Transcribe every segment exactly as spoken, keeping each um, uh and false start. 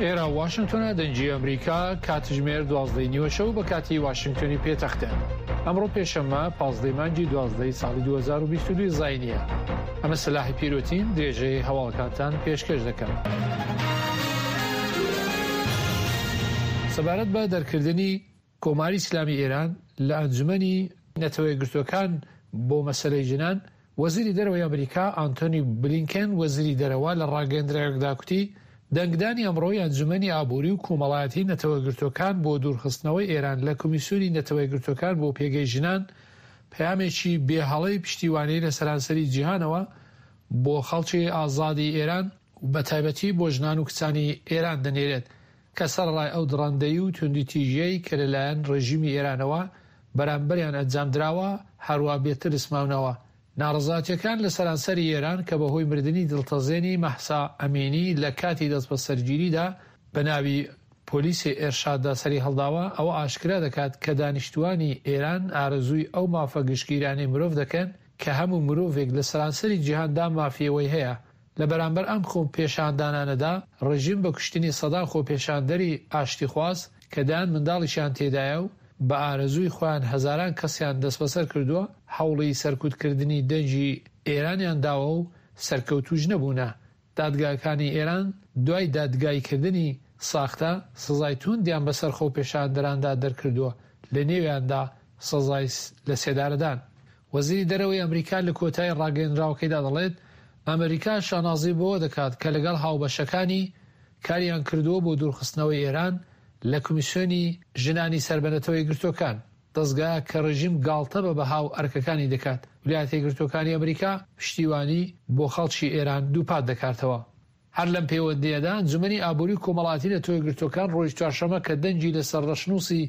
ئێرە واشنگتۆنە، دەنگی ئەمریکا، کاتژمێر دوازدەی نیوەشەو بە کاتی واشنگتۆنی پێتەختە. ئەمڕۆ پێشەممە پازدەی مانگی دوازدەی ساڵی دوو هەزار و بیست و دوو زاینیە. ئەمە سەلاحی پیرۆتین، درێژەی هەواڵەکانتان پێشکەش دەکەم. سەبارەت بە دەرکردنی کۆماری ئیسلامی ئێران لە ئەنجومەنی نەتەوە یەکگرتووەکان بۆ مەسەلەی ژنان، وەزیری دەرەوەی ئەمریکا ئانتۆنی بلینکن وەزیری دەرەوە لە ڕاگەیەندراوێکدا کوتی دەنگدانی ئەمڕۆی ئەنجومەنی ئابووری و کۆمەڵایەتی نەتەوە یەکگرتووەکان بۆ دوورخستنەوەی ئێران لە کۆمیسیۆنی نەتەوە یەکگرتووەکان بۆ پێگەی ژنان پەیامێکی بێهەڵەی پشتیوانی لە سەرانسەری جیهانەوە بۆ خەڵکی ئازادی ئێران و بەتایبەتی بۆ ژنان و کچانی ئێران دەنێرێت کە سەرەڕای ئەو دڕندەیی و توندوتیژیەی کە لەلایەن ڕێژیمی ئێرانەوە بەرامبەریان ئەنجام دراوە هەروا بێترس ماونەوە. ناڕەزایەتیەکان لە سەرانسەری ئێران کە بەهۆی مردنی دڵتەزێنی مەهسا ئەمینی لە کاتی دەستبەسەرگیریدا بە ناوی پۆلیسی ئێرشاددا سەری هەڵداوە، ئەوە ئاشکرا دەکات کە دانیشتوانی ئێران ئارەزووی ئەو مافە گشتگیرانەی مرۆڤ دەکەن کە هەموو مرۆڤێک لە سەرانسەری جیهاندا مافی ئەوەی هەیە. لە بەرامبەر ئەم خۆپێشاندانانەدا ڕژیم بە کوشتنی سەدان خۆپێشاندەری ئاشتیخواز کە دەیان منداڵیشیان تێدایە و بە ئارەزووی خۆیان هەزاران کەسیان دەستبەسەر کردووە، هەوڵی سەرکوتکردنی دەنگی ئێرانیان داوە و سەرکەوتووش نەبوونە. دادگاکانی ئێران دوای دادگاییکردنی ساختە سزای توندیان بەسەر خۆپێشاندەراندا دەرکردووە، لە نێویاندا سزای لەسێدارەدان. وەزیری دەرەوەی ئەمریکا لە کۆتایی ڕاگەیەنراوەکەیدا دەڵێت، ئەمریکا شانازی بەوە دەکات کە لەگەڵ هاوبەشەکانی کاریان کردووە بۆ دوورخستنەوەی ئێران لە کۆمیسیۆنی ژنانی سەر بە نەتەوە یەکگرتووەکان، دەزگا کە ڕژیم گاڵتە بە بەها و ئەرکەکانی دەکات. ویلایەتە یەکگرتووەکانی ئەمریکا پشتیوانی بۆ خەڵکی ئێران دووپات دەکاتەوە. هەر لەم پەیوەندییەدا ئەنجومەنی ئابووری و کۆمەڵایەتی نەتەوە یەکگرتووەکان ڕۆژی چوارشەممە کە دەنگی لەسەر ڕەشنووسی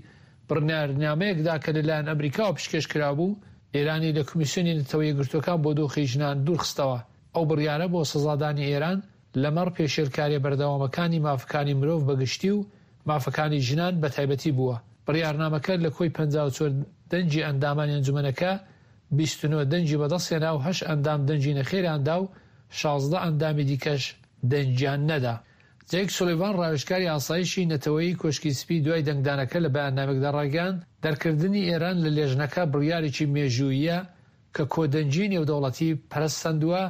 بڕیارنامەیەکدا کە لەلایەن ئەمریکاوە پشکێش کرابوو، ئێرانی لە کۆمیسیۆنی نەتەوە یەکگرتووەکان بۆ دۆخی ژنان دوورخستەوە. ئەو بڕیارە بۆ سزادانی ئێران لەمەڕ پێشێلکاریە بەردەوامەکانی مافەکانی مرۆڤ بەگشتی و مافەکانی ژنان بەتایبەتی بووە. بڕیارنامەکە لە کۆی پەنجا و چوار دەنگی ئەندامانی ئەنجومەنەکە بیست و نۆ دەنگی بەدەستهێنا و هەشت ئەندام دەنگی نەخێریان دا و شازدە ئەندامی دیکەش دەنگیان نەدا. جەیک سولیڤان ڕاوێژکاری ئاسایشی نەتەوەیی کۆشکی سپی دوای دەنگدانەکە لە بەیاننامێکدا ڕایگەیاند، دەرکردنی ئێران لە لێژنەکە بڕیارێکی مێژووییە کە کۆدەنگی نێودەوڵەتی پەرەسەندووە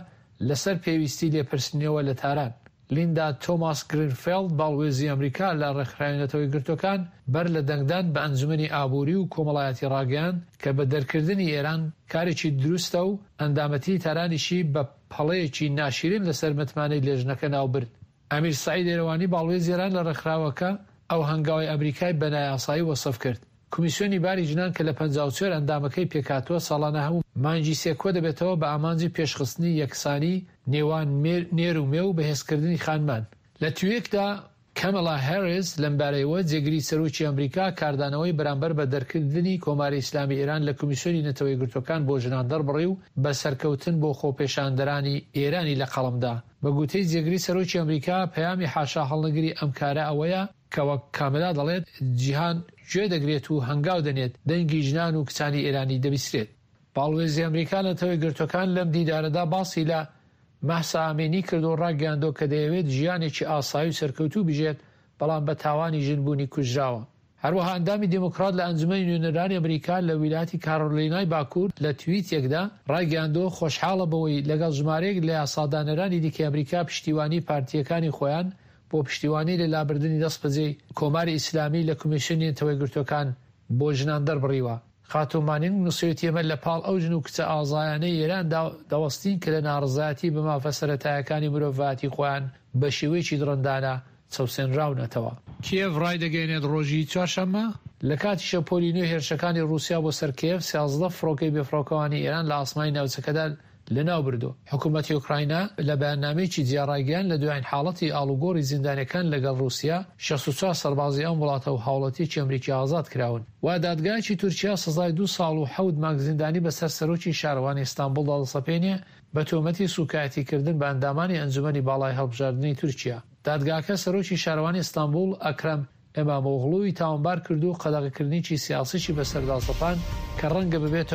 لەسەر پێویستی لێپرسینەوە لە تاران. لیندا تۆماس گرینفێڵد باڵوێزی ئەمریکا لە ڕێکخراوی نەتەوە یەکگرتووەکان بەر لە دەنگدان بە ئەنجومەنی ئابووری و کۆمەڵایەتی ڕاگەیاند کە بە دەرکردنی ئێران کارێکی دروستە و ئەندامەتی تارانیشی بە پەڵەیەکی ناشیرین لەسەر متمانەی لێژنەکە ناوبرد. ئەمیر سەعید ئێرەوانی باڵوێزی ئێران لە ڕێکخراوەکە ئەو هەنگاوەی ئەمریکای بە نایاسایی وەسف کرد. کۆمیسیۆنی باری ژنان کە لە پەنجا و چوار ئەندامەکەی پێکهاتووە ساڵانە هەموو مانگی سێ کۆ دەبێتەوە بە ئامانجی پێشخستنی یەکسانی نێوان نێر و مێ و بەهێزکردنی خانمان. لە تویتێکدا کامێلا هاریس لەمبارەیەوە جێگری سەرۆکی ئەمریکا کاردانەوەی بەرامبەر بە دەرکردنی کۆماری ئیسلامی ئێران لە کۆمیسیۆنی نەتەوە یەکگرتووەکان بۆ ژنان دەربڕی و بە سەرکەوتن بۆ خۆپێشاندەرانی ئێرانی لە قەڵەمدا. بە گوتەی جێگری سەرۆکی ئەمریکا پەیامی حاشا هەڵنەگری ئەم کارە ئەوەیە کە وەک کامێلا دەڵێت جیهان گوێ دەگرێت و هەنگاو دەنێت، دەنگی ژنان و کچانی ئێرانی دەبیسرێت. باڵوێزی ئەمریکا نەتەوە یەکگرتووەکان لەم دیدارەدا باسی لە مەهسا ئەمینی کرد و ڕاگەیاندووە کە دەیەوێت ژیانێکی ئاسایی و سەرکەوتوو بژێت، بەڵام بە تاوانی ژنبوونی کوژراوە. هەروەها ئەندامی دێموکرات لە ئەنجومەنی نوێنەرانی ئەمریکا لە ویلایەتی کارۆلینای باکوور لە تویتێکدا ڕایگەیاندووە خۆشحاڵە بەوەی لەگەڵ ژمارەیەک لە یاسادانەرانی دیکەی ئەمریکا پشتیوانی پارتییەکانی خۆیان بۆ پشتیوانی لە لابردنی دەستبەجێی کۆماری ئیسلامی لە کۆمیسیۆنی نەتەوە یەکگرتووەکان بۆ ژنان دەربڕیوە. خاتوو مانینگ نووسیویەتی ئێمە لە پاڵ ئەو ژن و کچە ئازایانەی ئێراندا دەوەستین کە لە ناڕەزایەتی بە مافە سەرەتایەکانی مرۆڤایەتی خۆیان بە شێوەیەکی دڕندانە چەوسێنراونەتەوە. کیێڤ ڕایدەگەیەنێت ڕۆژی چوارشەممە لە کاتی شەپۆلی نوێی هێرشەکانی ڕووسیا بۆ سەر کیێڤ سیازدە فڕۆکەی بێفڕۆکەوانی ئێران لە ئاسمانی ناوچەکەدا لەناوبردووە. حکوومەتی ئۆکراینا لە بەیاننامەیەکی جیا ڕایگەیاند لە دوایین حاڵەتی ئاڵوگۆڕی زیندانیەکان لەگەڵ ڕووسیا شەست و چوار سەربازی ئەم وڵاتە و هاوڵاتیەکی ئەمریکی ئازاد کراون و دادگایەکی تورکیا سزای دوو ساڵ و حەوت مانگ زیندانی بەسەر سەرۆکی شارەوانی ئیستانبوڵدا دەسەپێنێ بە تۆمەتی سوکایەتیکردن بە ئەندامانی ئەنجومەنی باڵای هەڵبژاردنی تورکیا. دادگاکە سەرۆکی شارەوانی ئیستانبوڵ ئەکرەم ئیمامئۆغڵوی تاوانبار کرد و قەدەغەکردنێکی سیاسیشی بەسەردا سەپاند کە ڕەنگە ببێتە